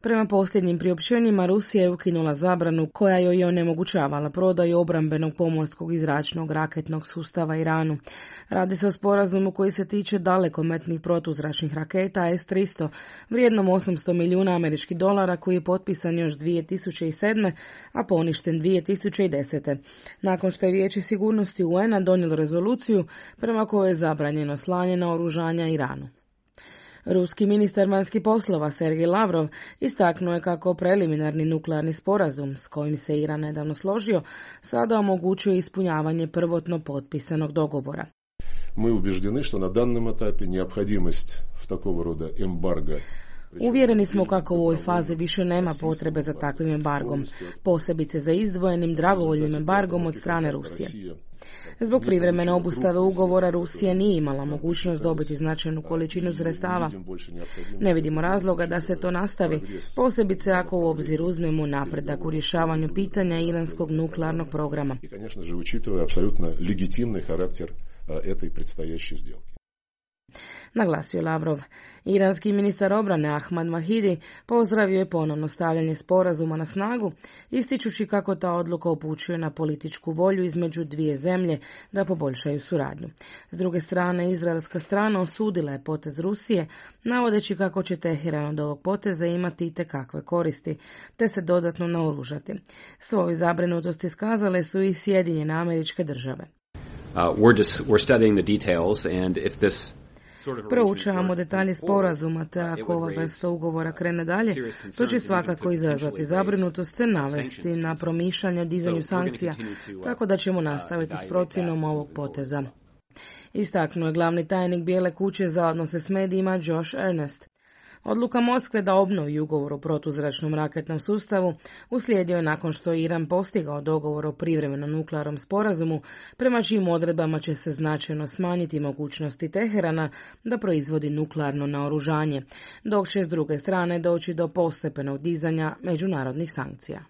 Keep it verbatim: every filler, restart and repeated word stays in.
Prema posljednjim priopćenjima, Rusija je ukinula zabranu koja joj je onemogućavala prodaju obrambenog pomorskog i zračnog raketnog sustava Iranu. Radi se o sporazumu koji se tiče dalekometnih protuzračnih raketa S tristo, vrijednom osamsto milijuna američkih dolara, koji je potpisan još dvije tisuće sedme. a poništen dvije tisuće desete. nakon što je Vijeće sigurnosti U N-a donijelo rezoluciju prema kojoj je zabranjeno slanje naoružanja Iranu. Ruski ministar vanjskih poslova Sergej Lavrov istaknuo je kako preliminarni nuklearni sporazum s kojim se Iran nedavno složio sada omogućuje ispunjavanje prvotno potpisanog dogovora. Mi ubježdeni što na danom etapi neophodimost v takvog roda embarga. Uvjereni smo kako u ovoj fazi više nema potrebe za takvim embargom, posebice za izdvojenim dragovoljnim embargom od strane Rusije. Zbog privremene obustave ugovora Rusija nije imala mogućnost dobiti značajnu količinu sredstava. Ne vidimo razloga da se to nastavi, posebice ako u obzir uzmemo napredak u rješavanju pitanja iranskog nuklearnog programa. I, конечно же, учитывая абсолютно легитимный характер этой предстоящей сделки. Naglasio Lavrov. Iranski ministar obrane Ahmad Vahidi pozdravio je ponovno stavljanje sporazuma na snagu, ističući kako ta odluka upućuje na političku volju između dvije zemlje da poboljšaju suradnju. S druge strane, izraelska strana osudila je potez Rusije, navodeći kako će Teheran od ovog poteza imati itekakve koristi, te se dodatno naoružati. Svoju zabrinutost iskazale su i Sjedinjene Američke Države. Uh, we're just, we're studying the details, and if this Proučavamo detalje sporazuma, te ako ova vrsta ugovora krene dalje, to će svakako izazvati zabrinutost te navesti na promišljanje o dizanju sankcija, tako da ćemo nastaviti s procjenom ovog poteza. Istaknuo je glavni tajnik Bijele kuće za odnose s medijima Josh Earnest. Odluka Moskve da obnovi ugovor o protuzračnom raketnom sustavu uslijedio je nakon što je Iran postigao dogovor o privremenom nuklearnom sporazumu, prema čijim odredbama će se značajno smanjiti mogućnosti Teherana da proizvodi nuklearno naoružanje, dok će s druge strane doći do postepenog dizanja međunarodnih sankcija.